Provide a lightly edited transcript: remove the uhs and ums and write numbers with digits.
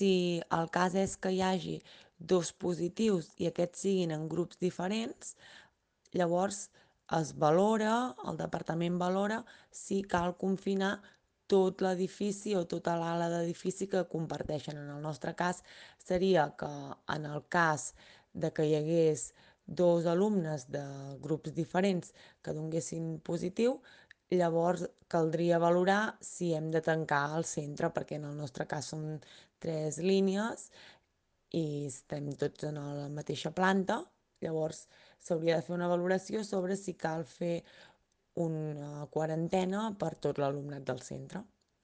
Si el cas és que hi hagi dos positius i aquests siguin en grups diferents, llavors es valora, el departament valora si cal confinar tot l'edifici o tota l'ala d'edifici que comparteixen. En el nostre cas seria que en el cas de que hi hagués dos alumnes de grups diferents que donguessin positiu, llavors caldria valorar si hem de tancar el centre, perquè en el nostre cas són tres línies i estem tots en la mateixa planta, llavors s'hauria de fer una valoració sobre si cal fer una quarantena per tot l'alumnat del centre.